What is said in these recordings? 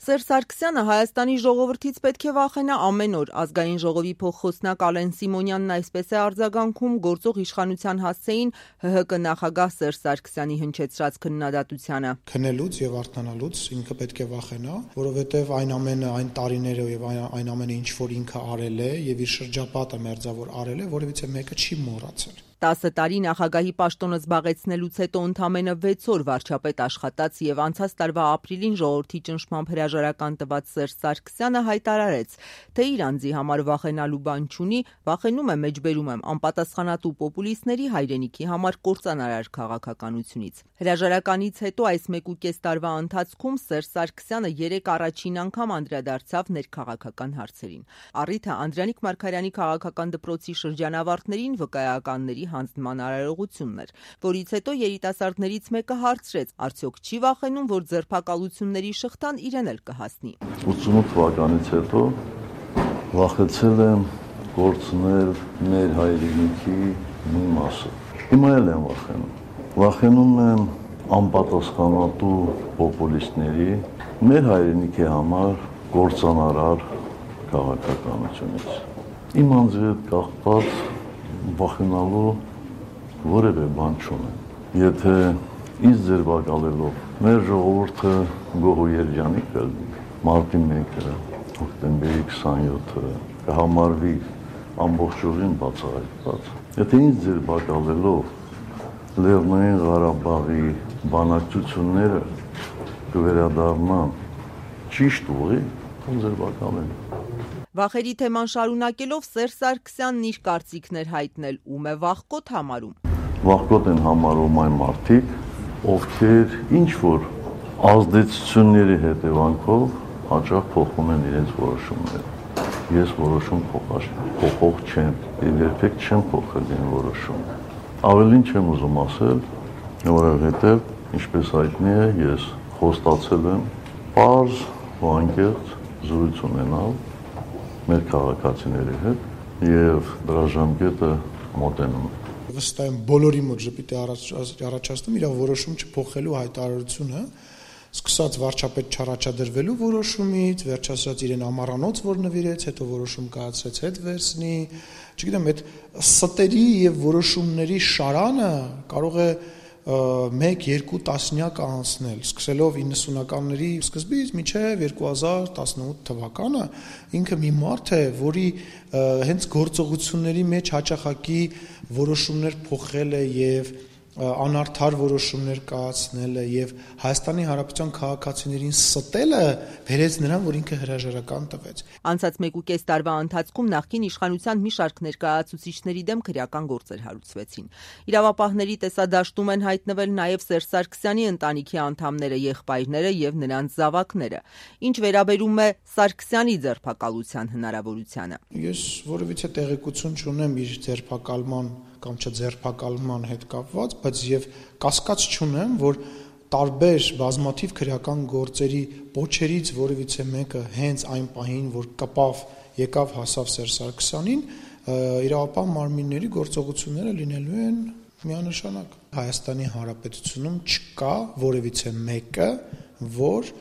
Սերժ Սարգսյանը Հայաստանի ժողովրդից պետք է վախենա ամեն օր։ Ազգային ժողովի փոխխոսնակ Ալեն Սիմոնյանն այսպես է արձագանքում գործող իշխանության հասցեին ՀՀԿ նախագահ Սերժ Սարգսյանի հնչեցրած քննադատությանը։ Քնելուց եւ արթնանալուց ինքը պետք է վախենա, որովհետեւ այն ամենը, այն տարիները եւ այն ամենը, ինչ որ ինքը արել է եւ իր շրջապատը մերձավոր արել է, որևիցե մեկը չի մոռացել։ 10 տարի նախագահի պաշտոնը զբաղեցնելուց հետո ընդամենը 6 օր վարչապետ աշխատած եւ անցած տարվա ապրիլին ժողովրդի ճնշմամբ հրաժարական տված Սերժ Սարգսյանը հայտարարեց, թե իր անձի համար վախենալու բան չունի, վախենում է մեջբերում եմ անպատասխանատու պոպուլիստների հայրենիքի համար կործանարար քաղաքականությունից։ Հրաժարականից հետո այս 1.5 տարվա ընթացքում Սերժ Սարգսյանը 3 առաջին անգամ անդրադարձավ ներքաղաքական հարցերին։ Առիթը Անդրանիկ Մարգարյանի քաղաքական դպրոցի շրջանավարտներին վկայականների հանձնման արարողությունն էր, որից հետո երիտասարդներից մեկը հարցրեց, արդյոք չի վախենում, որ ձերբակալությունների շղթան իրեն էլ կհասնի։ 88 թվականից հետո վախեցել եմ գործնել մեր հայրենիքի մի մասը։ Հիմա էլ եմ վախենում։ Վախենում եմ անպատասխանատու պոպուլիստների մեր հայրենիքի համար կործանարար քաղաքականությունից։ Իմ անձի հետ կախված վախենալու որևէ բան չունեմ։ Եթե ինձ ձերբակալելով մեր ժողովուրդը գոհ ու երջանիկ կլինի, մարտի 1-ը, հոկտեմբերի 27-ը կհամարվի ամբողջովին բացահայտված։ Եթե ինձ ձերբակալելով Լեռնային Ղարաբաղի բանակցությունները կվերադառնան ճիշտ ուղի, ձերբակալեն։ Վախերի թեման շարունակելով Սերժ Սարգսյանն իր կարծիքն էր հայտնել, ում է վախկոտ համարում։ Վախկոտ են համարում այն մարդիկ, ովքեր ինչ-որ ազդեցությունների հետևանքով հաճախ փոխում են իրենց որոշումները։ Ես որոշում փոխող չեմ, եւ երբեք չեմ փոխել իմ որոշումը։ Ավելին չեմ ուզում ասել, որովհետեւ, ինչպես հայտնի է, ես խոստացել եմ պարզ ու անկեղծ զրույց ունենալ մեր քաղաքացիների հետ եւ դրա ժամկետը մոտենում է։ Վստահ եմ բոլորի մոտ ժպիտ է առաջացնում իր որոշում չփոխելու հայտարարությունը, սկսած վարչապետ չառաջադրվելու որոշումից, վերջացրած իրեն ամառանոց, որ նվիրեց, հետո որոշում կայացրեց հետ վերցնի, չգիտեմ, այդ ստերի եւ որոշումների շարանը կարող է 1-2 տասնյակ անցնել, սկսելով 90-ականների սկզբից մինչև 2018 թվականը, ինքը մի մարդ է, որի հենց գործողությունների մեջ հաճախակի որոշումներ փոխել է եւ անարդար որոշումներ կայացնել է եւ Հայաստանի Հանրապետության քաղաքացիներին ստելը բերեց նրան, որ ինքը հրաժարական տվեց։ Անցած 1.5 տարվա ընթացքում նախկին իշխանության մի շարք ներկայացուցիչների դեմ քրեական գործեր հարուցվեցին։ Իրավապահների տեսադաշտում են հայտնվել նաեւ Սերժ Սարգսյանի ընտանիքի անդամները, եղբայրները եւ նրանց զավակները։ Ինչ վերաբերում է Սարգսյանի ձերբակալության հնարավորությանը։ Ես որևիցե տեղեկություն չունեմ իր ձերբակալման կամ չձերբակալման հետ կապված, բայց եւ կասկած չունեմ, որ տարբեր բազմաթիվ քրեական գործերի պոչերից որևիցե մեկը հենց այն պահին, որ եկավ հասավ Սերժ Սարգսյանին, իրավապահ մարմինների գործողությունները լինելու են միանշանակ։ Հայաստանի Հանրապետությունում չկա որևիցե մեկը, որ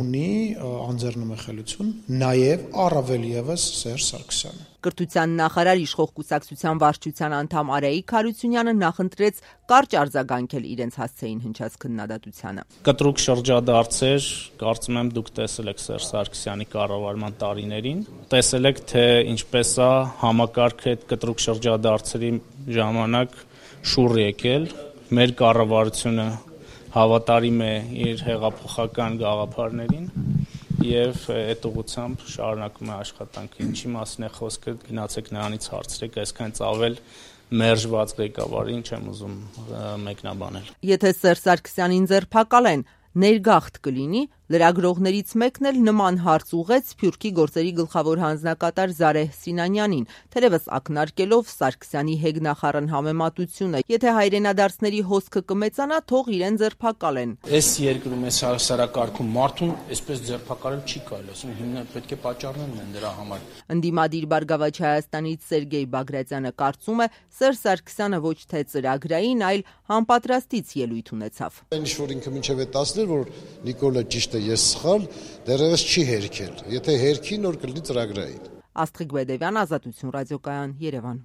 ունի անձեռնմխելիություն, նաև առավել եւս Սերժ Սարգսյանը։ Կրթության նախարար իշխող կուսակցության վարչության անդամ Արայիկ Հարությունյանը նախընտրեց կարճ արձագանքել իրենց հասցեին հնչած քննադատությանը։ Կտրուկ շրջադարձեր, կարծում եմ դուք տեսել եք Սերժ Սարգսյանի կառավարման տարիներին, տեսել եք թե ինչպես է համակարգը այդ կտրուկ շրջադարձերի ժամանակ շուռ եկել, մեր կառավարությունը հավատարիմ է իր հեղափոխական գաղափարներին եւ այդ ուղղությամբ շարունակում է աշխատանքը։ Ինչի մասին է խոսքը, գնացեք նրանից հարցրեք, այսքան ծավել մերժված ղեկավարին չեմ ուզում մեկնաբանել։ Եթե Սերժ Սարգսյանին ձերբակալեն, ներգաղթ կլինի, լրագրողներից մեկն էլ նման հարց ուղեց Սփյուռքի գործերի գլխավոր հանձնակատար Զարեհ Սինանյանին, թերևս ակնարկելով Սարգսյանի հեգնախառն համեմատությունը, եթե հայրենադարձների հոսքը կմեծանա, թող իրեն ձերբակալեն։ Այս երկրում այս հասարակարգում մարդուն այսպես ձերբակալել չի կարելի, ասում հիմնական պետք է պատճառներն են դրա համար։ Ընդդիմադիր Բարգավաճ Հայաստանից Սերգեյ Բագրատյանը կարծում է, Սերժ Սարգսյանը ոչ թե ծրագրային, այլ համապատրաստից ելույթ ունեցավ։ Ինչ որ ինքը մինչև է 10-ներ, որ Նիկոլը ճիշտ է թե ես սխալ, դեռևս չի հերքել։ Եթե հերքի, նոր կլինի ծրագրային։ Աստղիկ Բեդևյան, Ազատություն ռադիոկայան, Երևան։